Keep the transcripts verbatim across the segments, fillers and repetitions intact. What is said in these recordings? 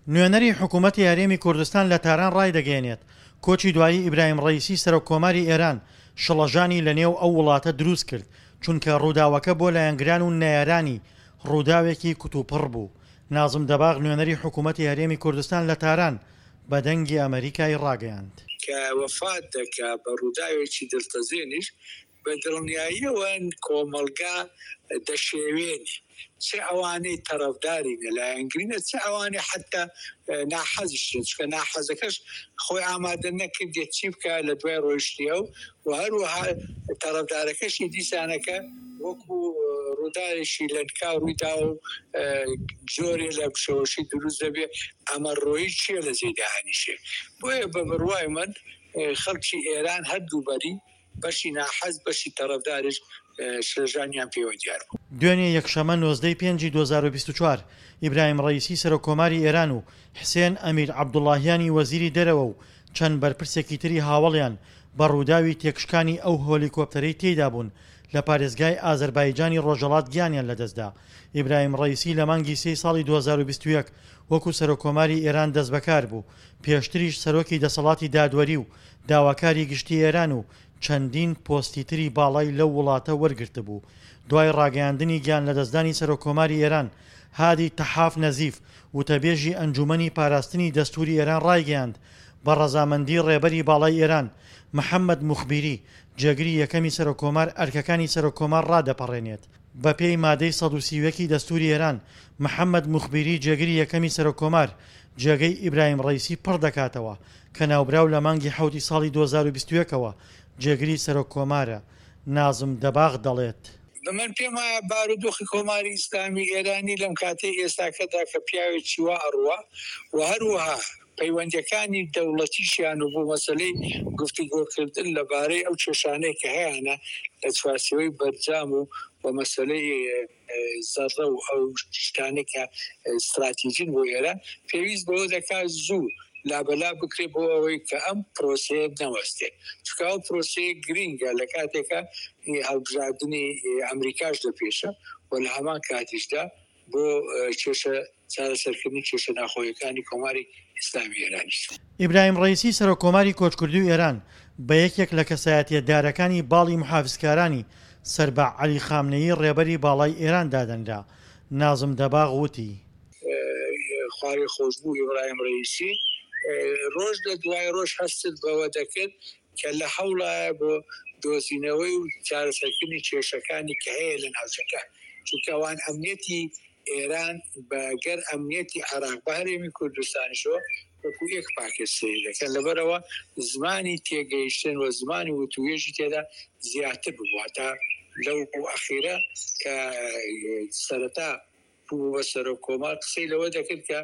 نوێنەری حکوومەتی هەرێمی کوردستان لە تاران ڕایدەگەیەنێت، کۆچی دوایی ئیبراهیم ڕەئیسی سەرۆک کۆماری ئێران شڵەژانی لەنێو ئەو وڵاتە دروست کرد، چونکە ڕووداوەکە بۆ لایەنگران و نەیارانی ڕووداوێکی کوتوپڕ بوو. نازم دەباغ نوێنەری حکوومەتی هەرێمی کوردستان لە تاران بە دەنگی ئەمەریکای ڕاگەیاند. کە وەفات دەکا بە ڕووداوێکی دڵتەزێنیش، بە دڵنیاییەوە کۆمەڵگا دەشێوێنێ، چ ئەوانەی تەرەفدارینە، لایەنگرینە، چ ئەوانەی حەتتا ناحەزیشن، چونکە ناحەزەکەش خۆی ئامادە نەکردیە چی بکا لە دوای ڕۆیشتنی ئەو و هەروەها تەرەفدارەکەشی دیسانەکە وەکو ڕووداوێکی لەنکاو ڕووی داوە و جۆرێ لە شەوەشی دروست دەبێ، ئەمە ڕۆیی چییە لە جێی دانیشێ. بۆیە بە بڕوای من خەڵکی ئێران هەردوو بەری، بەشی ناحەز بەشی تەرەفداریش شلەژانیان پێوە دیار بوو. دوێنێ یەکشەممە نۆزدە ی پێنجی دوو هەزار و بیست و چوار، ئیبراهیم ڕەئیسی سەرۆک کۆماری ئێران و حسێن ئەمیر عەبدوڵاهیانی وەزیری دەرەوە و چەند بەرپرسێکی تری هاوەڵیان بە ڕووداوی تێکشکانی ئەو هۆلیکۆپتەرەی تێیدا بوون لە پارێزگای ئازەربایجانی ڕۆژهەڵات گیانیان لەدەستدا. ئیبراهیم ڕەئیسی لە مانگی سێی ساڵی دوو هەزار و بیست و یەک وەکو سەرۆککۆماری ئێران دەستبەکار بوو، پێشتریش سەرۆکی دەسەڵاتی دادوەری و داواکاری گشتی ئێران و چەندین پۆستی تری باڵای لەو وڵاتە وەرگرتبوو. دوای ڕاگەیاندنی گیانلەدەستدانی سەرۆککۆماری ئێران، هادی تەحاف نەزیف، وتەبێژی ئەنجوومەنی پاراستنی دەستووری ئێران ڕایگەیاند، بە ڕەزامەندی ڕێبەری باڵای ئێران، محەممەد موخبیری، جێگری یەکەمی سەرۆککۆمار ئەرکەکانی سەرۆککۆمار ڕادەپەڕێنێت. بەپێی مادەی سەد و سی و یەک ی دەستووری ئێران، محەممەد موخبیری جێگری یەکەمی سەرۆککۆمار، جێگەی ئیبراهیم ڕەئیسی پڕ دەکاتەوە، کە ناوبراو لە مانگی حەوتی ساڵی دوو هەزار و بیست و یەک ەوە جێگری سەرۆککۆمارە. نازم دەباغ دەڵێت. من پێم وایە بارودۆخی کۆماری ئیسلامی ئێرانی لەم کاتەی ئێستاکەدا کە پیاوێکی وا ئەڕوا و هەروەها پەیوەندییەکانی دەوڵەتیشیان و بۆ مەسەلەی گفتوگۆکردن لە بارەی ئەو کێشانەی کە هەیانە لە چوارچێوەی بەرجام و و مەسەلەی زەڕە و ئەو شتانەی کە ستراتیجین بۆ ئێران، پێویست بەوە دەکات زوو لابەلا بکرێت بۆ ئەوەی کە ئەم پرۆسەیە نەوەستێ، چونکە ئەو پرۆسەیە گرینگە لە کاتێکا هەڵبژاردنی ئەمریکاش لە پێشە و لە هەمان کاتیشدا بۆ کێشە چارەسەرکردنی کێشە ناخۆیەکانی کۆماری ئیسلامی ئێرانیش. ئیبراهیم ڕەئیسی سەرۆککۆماری کۆچکردووی ئێران بە یەکێک لە کەسایەتییە دارەکانی باڵی موحافزکارانی سەر بە عەلی خامنەیی ڕێبەری باڵای ئێران دادەنرا. نازم دەباغ وتی. خوالێخۆشبوو ئیبراهیم ڕەئیسی ڕۆژ لە دوای ڕۆژ هەستت بەوە دەکرد کە لە هەوڵایە بۆ دۆزینەوەی و چارەسەرکردنی کێشەکانی کە هەیە لە ناوچەکە، چونکە ئەوان ئەمنیەتی ئێران بە گەر ئەمنیەتی عێراق بە هەرێمی کوردستانیشەوە وەکو یەک پاکێج سەیری دەکەن، لەبەرئەوە زمانی تێگەیشتن و زمانی وتووێژی تێدا زیاتر ببوو، هەتا لەو ئەخیرە کە سەرەتا بوو بە سەرۆک کۆمار قسەی لەوە دەکرد کە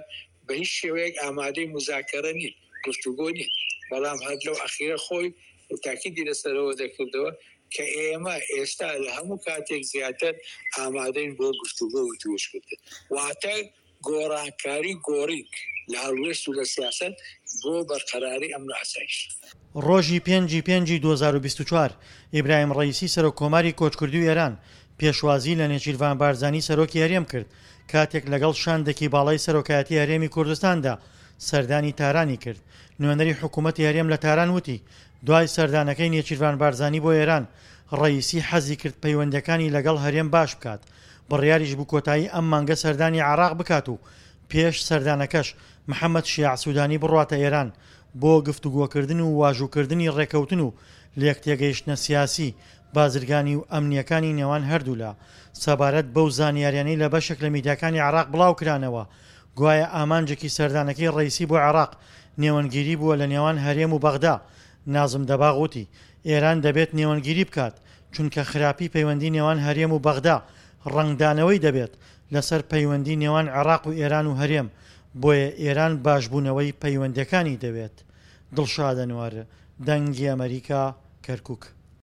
بە هیچ شێوەیەک ئامادەی موزاکەرە نین، گفتوگۆ نین، بەڵام هەر لەو ئەخیرە خۆی تاکیدی لەسەرەوە دەکردەوە کە ئێمە ئێستا لە هەموو کاتێک زیاتر ئامادەین بۆ گفتوگۆ و وتوێژکردن، واتە گۆڕانکاری گۆڕین لە هەڵوێست و لە سیاسەت بۆ بەرقەراری ئەمن و ئاسایش. ڕۆژی پێنج ی پێنجی دوو هەزار و بیست و چوار، ئیبراهیم ڕەئیسی سەرۆک کۆماری کۆچکردووی ئێران پێشوازی لە نێچیرڤان بارزانی سەرۆکی هەرێم کرد کاتێک لەگەڵ شاندێکی باڵای سەرۆکایەتی هەرێمی کوردستاندا سەردانی تارانی کرد. نوێنەری حکوومەتی هەرێم لە تاران وتی، دوای سەردانەکەی نێچیرڤان بارزانی بۆ ئێران، ڕەئیسی حەزی کرد پەیوەندییەکانی لەگەڵ هەرێم باش بکات، بڕیاریش بوو کۆتایی ئەم مانگە سەردانی عێراق بکات و پێش سەردانەکەش محەمەد شیاع سودانی بڕواتە ئێران بۆ گفتوگۆکردن و واژووکردنی ڕێککەوتن و لێکتێگەیشتنە سیاسی، بازرگانی و ئەمنییەکانی نێوان هەردوولا. سەبارەت بەو زانیاریانەی لە بەشێک لە میدیاکانی عێراق بڵاوکرانەوە، گوایە ئامانجێکی سەردانەکەی ڕەئیسی بۆ عێراق نێوەندگیری بووە لە نێوان هەرێم و بەغدا، نازم دەباغ وتی، ئێران دەبێت نێوەندگیری بکات، چونکە خراپی پەیوەندی نێوان هەرێم و بەغدا ڕەنگدانەوەی دەبێت لەسەر پەیوەندی نێوان عێراق و ئێران و هەرێم، بۆیە ئێران باشبوونەوەی پەیوەندییەکانی دەوێت. دڵشاد ئەنوەر، دەنگی ئەمەریکا، کەرکوک.